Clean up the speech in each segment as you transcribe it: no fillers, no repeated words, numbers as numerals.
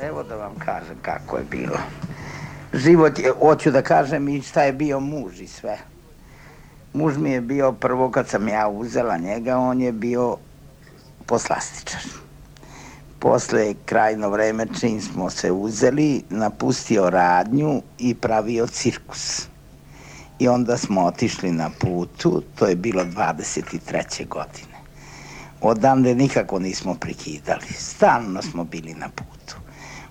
Evo da vam kažem kako je bilo. Život je, hoću da kažem i šta je bio muž i sve. Muž mi je bio prvo kad sam ja uzela njega, on je bio poslastičar. Posle krajno vreme čim smo se uzeli, napustio radnju i pravio cirkus. I onda smo otišli na putu, to je bilo 23. godine. Odande nikako nismo prekidali, stalno smo bili na putu,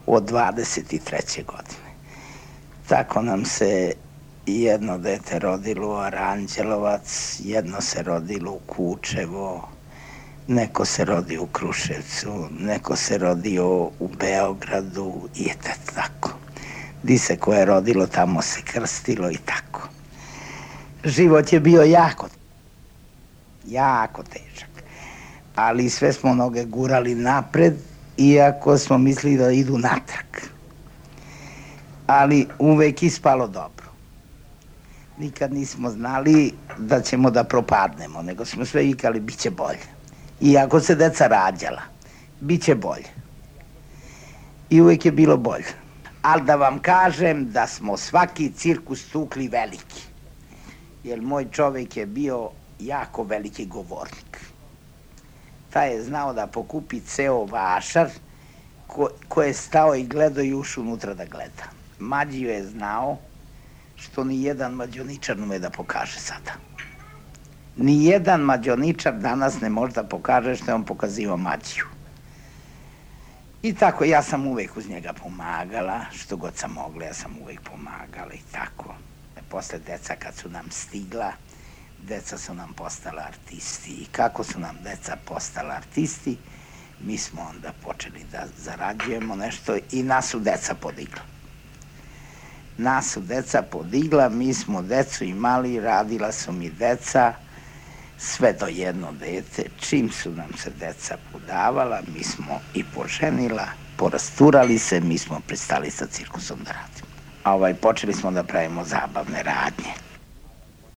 od 23. godine. Tako nam se jedno dete rodilo u Aranđelovac, jedno se rodilo u Kučevo, neko se rodio u Kruševcu, neko se rodio u Beogradu i tako. Di se ko je rodilo, tamo se krstilo i tako. Život je bio jako težak, ali sve smo noge gurali napred, iako smo mislili da idu natrag. Ali uvek ispalo dobro. Nikad nismo znali da ćemo da propadnemo, nego smo sve vikali bit će bolje. Iako se deca rađala, bit će bolje. I uvek je bilo bolje. Ali da vam kažem da smo svaki cirkus tukli veliki. Jer moj čovjek je bio jako veliki govornik. Taj je znao da pokupi ceo vašar ko je stao i gledao i ušao unutra da gleda. Mađiju je znao što ni jedan mađioničar ne ume da pokaže sada. Ni jedan mađioničar danas ne može da pokaže što je on pokazivao Mađiju. I tako, ja sam uvek uz njega pomagala, što god sam mogla, ja sam uvek pomagala i tako. Posle deca kad su nam stigla, deca su nam postala artisti. I kako su nam deca postala artisti, mi smo onda počeli da zarađujemo nešto i nas su deca podigla. Nas su deca podigla, mi smo decu imali, radila su mi deca, sve do jedno dete. Čim su nam se deca podavala, mi smo i poženila, porasturali se, mi smo prestali sa cirkusom da radimo. Počeli smo da pravimo zabavne radnje.